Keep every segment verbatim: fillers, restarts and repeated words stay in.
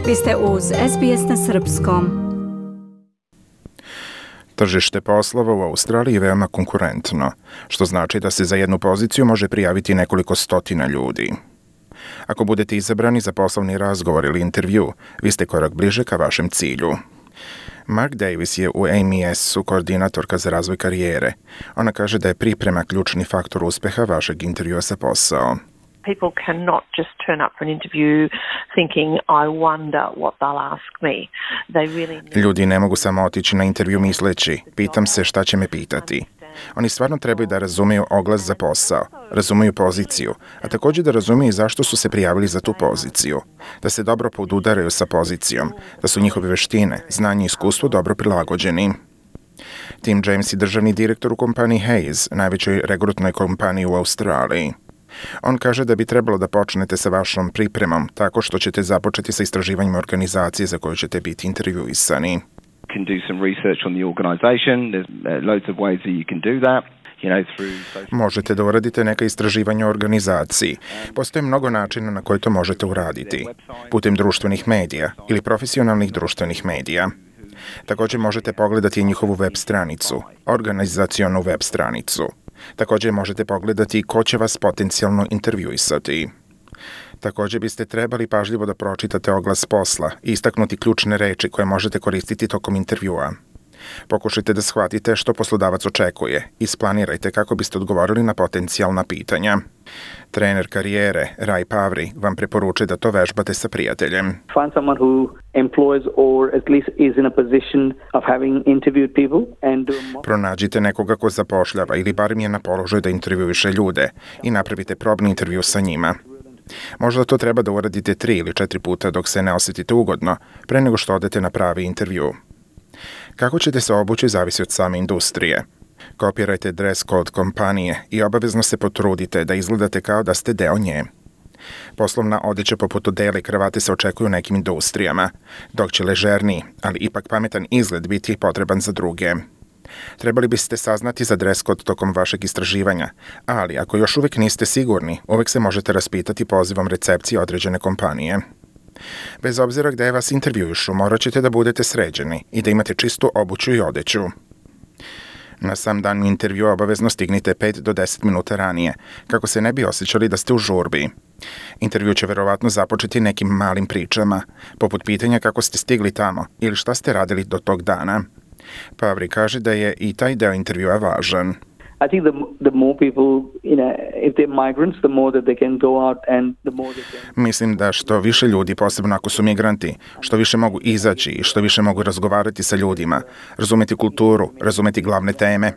Vi ste uz S B S na srpskom. Tržište poslova u Australiji je veoma konkurentno, što znači da se za jednu poziciju može prijaviti nekoliko stotina ljudi. Ako budete izabrani za poslovni razgovor ili intervju, vi ste korak bliže ka vašem cilju. Mark Davis je u A M E S-u koordinatorka za razvoj karijere. Ona kaže da je priprema ključni faktor uspeha vašeg intervjua za posao. People cannot just turn up for an interview thinking, I wonder what they'll ask me. They really need... Ljudi ne mogu samo otići na intervju misleći, pitam se šta će me pitati. Oni stvarno trebaju da razumiju oglas za posao, razumiju poziciju, a također da razumiju zašto su se prijavili za tu poziciju, da se dobro podudaraju sa pozicijom, da su njihove veštine, znanje i iskustvo dobro prilagođeni. Tim James je državni direktor u kompaniji Hayes, najvećoj regrutnoj kompaniji u Australiji. On kaže da bi trebalo da počnete sa vašom pripremom tako što ćete započeti sa istraživanjem organizacije za koju ćete biti intervjuisani. Can do some research on the organization. There's uh, loads of ways that you can do that. You know, through social... Možete da uradite neka istraživanja o organizaciji. Postoji mnogo načina na koje to možete uraditi. Putem društvenih medija ili profesionalnih društvenih medija. Također možete pogledati njihovu web stranicu, organizacionu web stranicu. Također možete pogledati ko će vas potencijalno intervjuisati. Također biste trebali pažljivo da pročitate oglas posla i istaknuti ključne reči koje možete koristiti tokom intervjua. Pokušajte da shvatite što poslodavac očekuje i isplanirajte kako biste odgovorili na potencijalna pitanja. Trener karijere Ray Pavri vam preporučuje da to vežbate sa prijateljem. Find someone who employs or at least is in a position of having interviewed people and do a mock... Pronađite nekoga ko zapošljava ili barem je na položaju da intervjuiše ljude i napravite probni intervju sa njima. Možda to treba da uradite tri ili četiri puta dok se ne osjetite ugodno, pre nego što odete na pravi intervju. Kako ćete se obući zavisi od same industrije. Kopirajte dress code kompanije i obavezno se potrudite da izgledate kao da ste deo nje. Poslovna odeća poput odela i kravate se očekuju u nekim industrijama, dok će ležerniji, ali ipak pametan izgled biti potreban za druge. Trebali biste saznati za dress code tokom vašeg istraživanja, ali ako još uvijek niste sigurni, uvijek se možete raspitati pozivom recepcije određene kompanije. Bez obzira gde vas intervjuišu, morat ćete da budete sređeni i da imate čistu obuću i odeću. Na sam dan intervjua obavezno stignite pet do deset minuta ranije, kako se ne bi osjećali da ste u žurbi. Intervju će verovatno započeti nekim malim pričama, poput pitanja kako ste stigli tamo ili šta ste radili do tog dana. Pavri kaže da je i taj deo intervjua važan. I think the the more people, you know, if they're migrants, the more that they can go out and the more they can... Mislim da što više ljudi, posebno ako su migranti, što više mogu izaći i što više mogu razgovarati sa ljudima, razumeti kulturu, razumeti glavne teme.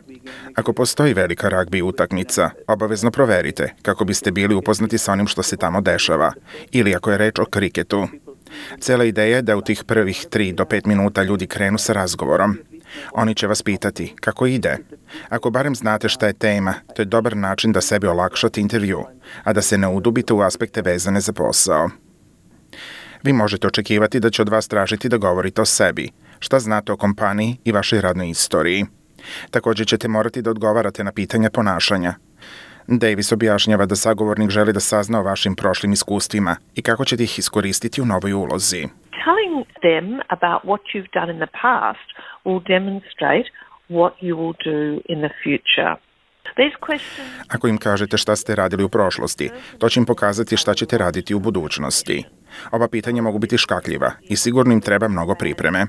Ako postoji velika ragbi utakmica, obavezno proverite kako biste bili upoznati sa onim što se tamo dešava, ili ako je reč o kriketu. Cela ideja je da u tih prvih tri do pet minuta ljudi krenu sa razgovorom. Oni će vas pitati kako ide. Ako barem znate šta je tema, to je dobar način da sebi olakšate intervju, a da se ne udubite u aspekte vezane za posao. Vi možete očekivati da će od vas tražiti da govorite o sebi, šta znate o kompaniji i vašoj radnoj istoriji. Također ćete morati da odgovarate na pitanja ponašanja. Davis objašnjava da sagovornik želi da sazna o vašim prošlim iskustvima i kako ćete ih iskoristiti u novoj ulozi. Telling them about what you've done in the past will demonstrate what you will do in the future. These questions... Ako im kažete šta ste radili u prošlosti, to će im pokazati šta ćete raditi u budućnosti. Ova pitanja mogu biti škakljiva i sigurno im treba mnogo pripreme.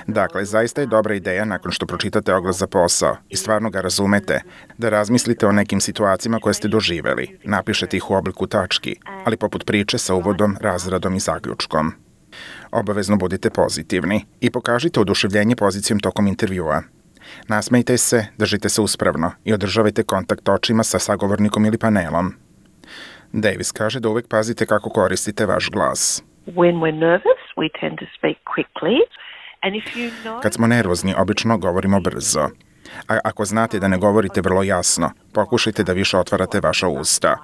Dakle, zaista je dobra ideja nakon što pročitate oglas za posao i stvarno ga razumete, da razmislite o nekim situacijama koje ste doživeli, napišete ih u obliku tački, ali poput priče sa uvodom, razradom i zaključkom. Obavezno budite pozitivni i pokažite oduševljenje pozicijom tokom intervjua. Nasmejte se, držite se uspravno i održavajte kontakt očima sa sagovornikom ili panelom. Davis kaže da uvek pazite kako koristite vaš glas. When we're nervous, we tend to speak quickly. And if you know... Kad smo nervozni, obično govorimo brzo. A ako znate da ne govorite vrlo jasno, pokušajte da više otvarate vaša usta.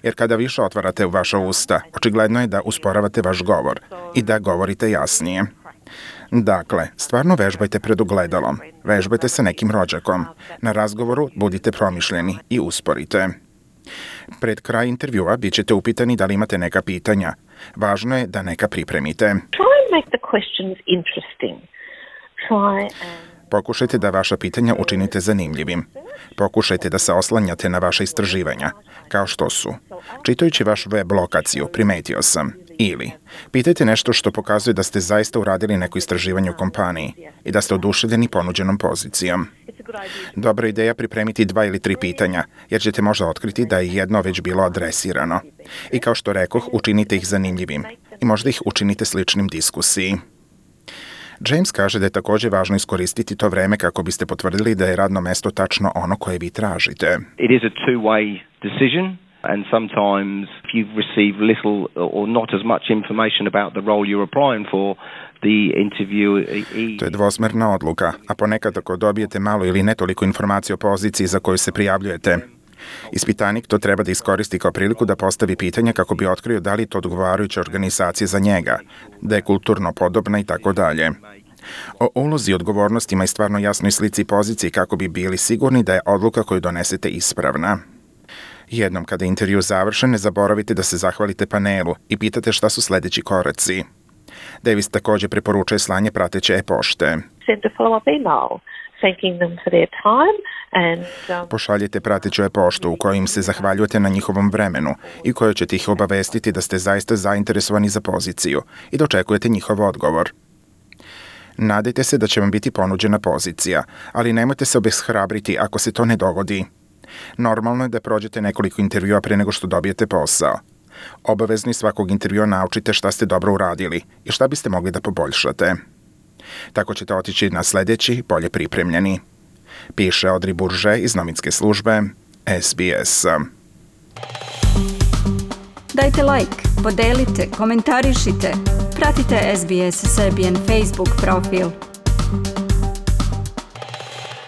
Jer kada više otvarate vaša usta, očigledno je da usporavate vaš govor i da govorite jasnije. Dakle, stvarno vežbajte pred ogledalom, vežbajte sa nekim rođakom. Na razgovoru budite promišljeni i usporite. Pred kraj intervjua bit ćete upitani da li imate neka pitanja. Važno je da neka pripremite. Try and make the questions interesting. Try and Pokušajte da vaša pitanja učinite zanimljivim. Pokušajte da se oslanjate na vaše istraživanja, kao što su: čitajući vašu web lokaciju, primetio sam, ili pitajte nešto što pokazuje da ste zaista uradili neko istraživanje u kompaniji i da ste oduševljeni ponuđenom pozicijom. Dobra ideja pripremiti dva ili tri pitanja, jer ćete možda otkriti da je jedno već bilo adresirano. I kao što rekoh, učinite ih zanimljivim i možda ih učinite sličnim diskusiji. James kaže da je također važno iskoristiti to vreme kako biste potvrdili da je radno mesto tačno ono koje vi tražite. It is a two-way decision. And sometimes if you receive little or not as much information about the role you're applying for, the interviewee... To je dvosmerna odluka, a ponekad ako dobijete malo ili ne toliko informacije o poziciji za koju se prijavljujete, ispitanik to treba da iskoristi kao priliku da postavi pitanje kako bi otkrio da li je to odgovarajuća organizacija za njega, da je kulturno podobna i tako dalje. O ulozi i odgovornostima i stvarno jasnoj slici poziciji kako bi bili sigurni da je odluka koju donesete ispravna. Jednom kada je intervju završen, ne zaboravite da se zahvalite panelu i pitate šta su sledeći koraci. Davis također preporučuje slanje prateće e-pošte. send a follow-up email thanking them for their time and um, Pošaljite prateću e-poštu u kojoj im se zahvaljujete na njihovom vremenu i kojoj ćete ih obavestiti da ste zaista zainteresovani za poziciju i da očekujete njihov odgovor. Nadajte se da će vam biti ponuđena pozicija, ali nemojte se obeshrabriti ako se to ne dogodi. Normalno je da prođete nekoliko intervjua pre nego što dobijete posao. Obavezni svakog intervjua naučite šta ste dobro uradili i šta biste mogli da poboljšate. Tako ćete otići na sledeći, bolje pripremljeni. Piše Audrey Bourget iz novinske službe S B S. Dajte like, podelite, komentarišite. Pratite S B S Serbian Facebook profil.